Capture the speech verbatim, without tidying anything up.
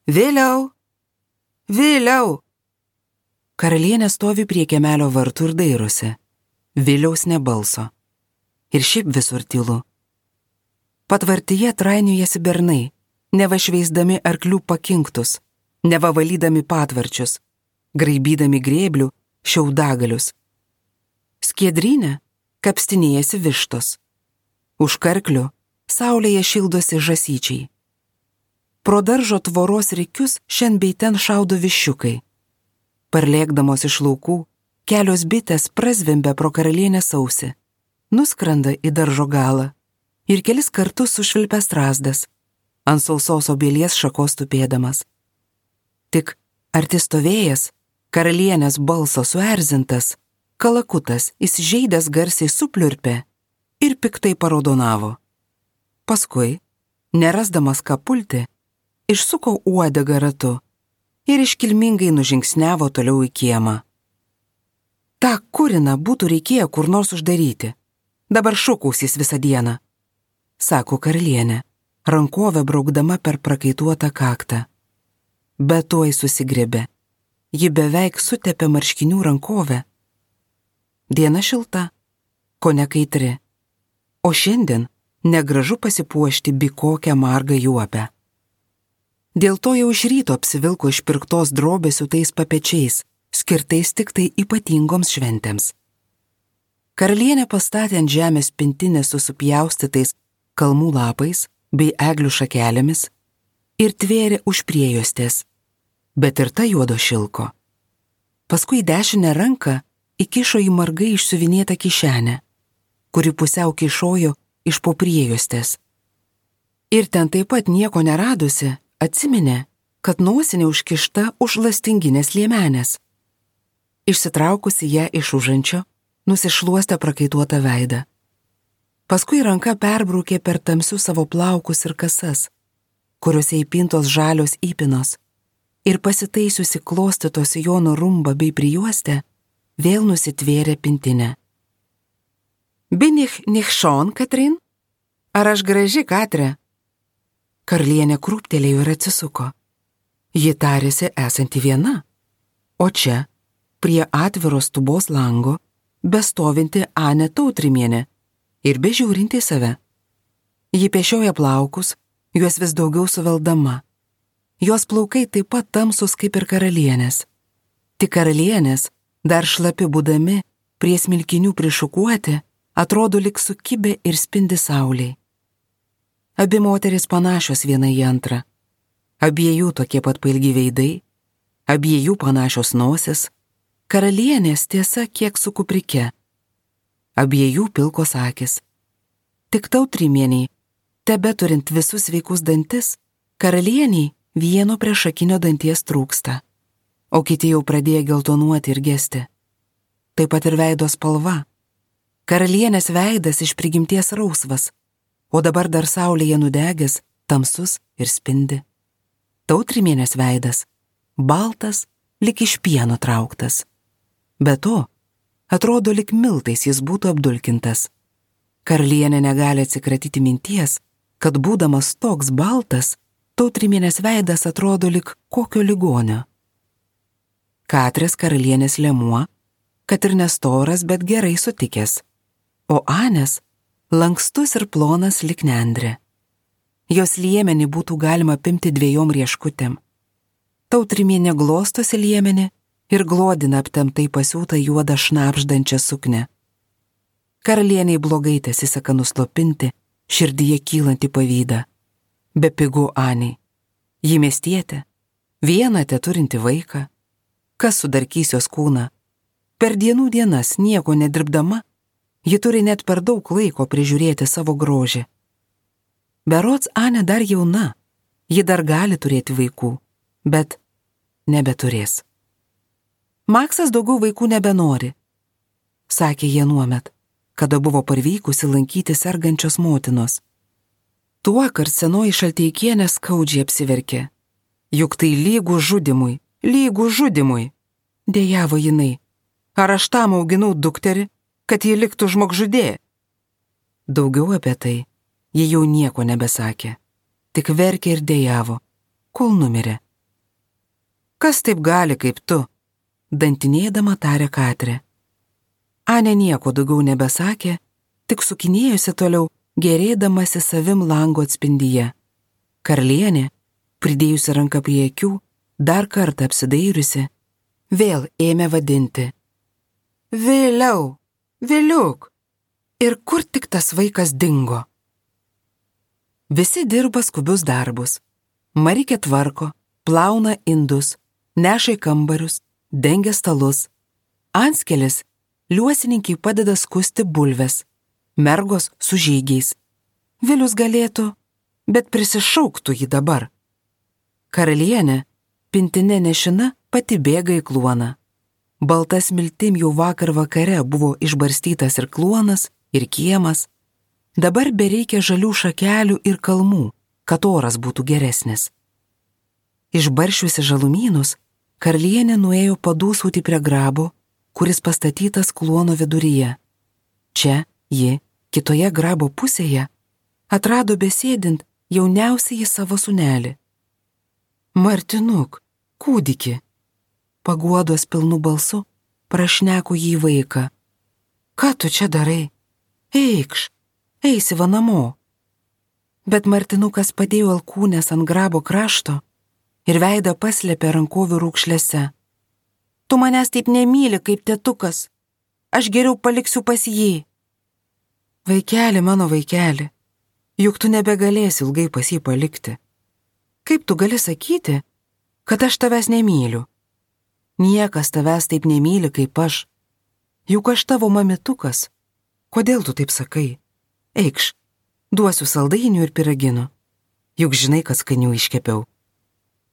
Vėliau! Vėliau! Karalienė stovi prie kiemelio vartų ir dairosi. Viliaus nebalso. Ir šiaip visur tylu. Patvartyje trainiojasi bernai, neva šveisdami arklių pakinktus, neva valydami patvarčius, graibydami grėblių šiaudagalius. Skiedrynė kapstinėjasi vištos. Už karklių saulėje šildosi žasyčiai. Pro daržo tvoros rikius šiandien bei ten šaudo viščiukai. Parlėkdamos iš laukų, kelios bitės prazvimbia pro karalienės ausį, nuskrenda į daržo galą ir kelis kartus sušvilpia strazdas, ant sausos obelies šakos tupėdamas. Tik arti stovėjęs, karalienės balso suerzintas, kalakutas įsižeidęs garsiai supliurpė ir piktai paraudonavo. Paskui, nerasdamas ką pulti, išsuko uodegą ratu ir iškilmingai nužingsniavo toliau į kiemą. Ta kuriną būtų reikėję kur nors uždaryti. Dabar šūkausys visą dieną, sako karalienė, rankovę braukdama per prakaituotą kaktą. Bet tuoj susigrėbė. Ji beveik sutepė marškinių rankovę. Diena šilta, kone kaitri. O šiandien negražu pasipuošti bi kokią margą juopę. Dėl to jau iš ryto apsivilko išpirktos drobės siūtais papečiais, skirtais tik tai ypatingoms šventėms. Karalienė pastatė ant žemės pintinę su supjaustytais kalmų lapais bei eglių šakelėmis ir tvėrė už priejostės, bet ir ta juodo šilko. Paskui dešinę ranką įkišo į margai išsiuvinėtą kišenę, kuri pusiau kišojo iš po priejostės. Ir ten taip pat nieko neradusi, atsiminė, kad nosinė užkišta už lastinginės liemenės. Išsitraukusi ją iš užančio, nusišluostė prakaituotą veidą. Paskui ranka perbraukė per tamsius savo plaukus ir kasas, kuriuose įpintos žalios įpinos, ir pasitaisiusi klostytos sijono rumbą bei prijuostę, vėl nusitvėrė pintinę. Bin ich nicht schon, Katrin? Ar aš graži, Katre? Karalienė krūptelėjo ir atsisuko. Ji tarėsi esanti viena, o čia, prie atviros tubos lango, bestovinti Anė Tautrimienė ir bežiūrinti save. Ji pešioja plaukus, juos vis daugiau suveldama. Jos plaukai taip pat tamsus kaip ir karalienės. Tik karalienės, dar šlapi būdami, prie smilkinių prišukuoti, atrodo lyg sukibę ir spindi saulei. Abi moteris panašios viena į antrą. Abiejų tokie pat pailgi veidai, abiejų panašios nosis, karalienės tiesa kiek su kuprike. Abiejų pilkos akis. Tik Tautrimieniai, tebe turint visus sveikus dantis, karalieniai vieno priešakinio danties trūksta, o kiti jau pradėjo geltonuoti ir gesti. Taip pat ir veido spalva. Karalienės veidas iš prigimties rausvas, o dabar dar saulėje nudegęs, tamsus ir spindi. Tautrimienės veidas baltas, lik iš pieno trauktas. Be to, atrodo lik miltais jis būtų apdulkintas. Karalienė negali atsikratyti minties, kad būdamas toks baltas, Tautrimienės veidas atrodo lik kokio ligonio. Katrės karalienės lemuo, kad ir nestoras, bet gerai sutikęs, o Anės lankstus ir plonas lik nendrė. Jos liemenį būtų galima pimti dviejom rieškutėm. Tautrimienė glostosi liemenį ir glodina aptemtai pasiūtą juodą šnapždančią suknę. Karalieniai blogai tesiseka nuslopinti širdyje kylantį pavydą. Be pigų Anei. Ji miestietė, vieną teturinti vaiką. Kas sudarkys jos kūną? Per dienų dienas nieko nedirbdama, ji turi net per daug laiko prižiūrėti savo grožį. Berods Anė dar jauna, ji dar gali turėti vaikų, bet nebeturės. Maksas daugiau vaikų nebenori, sakė jie nuomet, kada buvo parvykusi lankyti sergančios motinos. Tuokart senoji Šalteikienė skaudžiai apsiverkė. Juk tai lygų žudimui, lygų žudimui, dejavo jinai. Ar aš tam auginau dukterį, kad ji liktų žmogžudė? Daugiau apie tai ji jau nieko nebesakė, tik verkė ir dejavo, kol numirė, Kas taip gali kaip tu? Dantinėdama tarė Katrė. Anė nieko daugiau nebesakė, tik sukinėjusi toliau, gerėdamasi savim lango atspindyje. Karalienė, pridėjusi ranką prie akių, dar kartą apsidairiusi, vėl ėmė vadinti. Vėliau, vėliuk. Ir kur tik tas vaikas dingo? Visi dirba skubius darbus. Marikė tvarko, plauna indus, neša į kambarius, dengia stalus. Anskelis liuosininkiai padeda skusti bulves, mergos su žygiais. Vilius galėtų, bet prisišauktų jį dabar. Karalienė, pintinė nešina, pati bėga į kluoną. Baltas miltim jau vakar vakare buvo išbarstytas ir kluonas, ir kiemas. Dabar bereikia žalių šakelių ir kalmų, kad oras būtų geresnis. Išbaršiusi žalumynus, karalienė nuėjo padūsauti prie grabo, kuris pastatytas kluono viduryje. Čia ji, kitoje grabo pusėje, atrado besėdint jauniausiąjį savo sūnelį. Martinuk, kūdiki, paguodos pilnu balsu prašneko jį vaiką. Ką tu čia darai? Eikš, eisi va namo. Bet Martinukas padėjo alkūnės ant grabo krašto ir veidą paslėpė rankovių raukšlėse. Tu manęs taip nemyli kaip tėtukas, aš geriau paliksiu pas jį. Vaikeli, mano vaikeli, juk tu nebegalėsi ilgai pas jį palikti. Kaip tu gali sakyti, kad aš tavęs nemyliu? Niekas tavęs taip nemyli kaip aš. Juk aš tavo mamitukas. Kodėl tu taip sakai? Eikš, duosiu saldainių ir piraginų. Juk žinai, kad skanių iškepiau.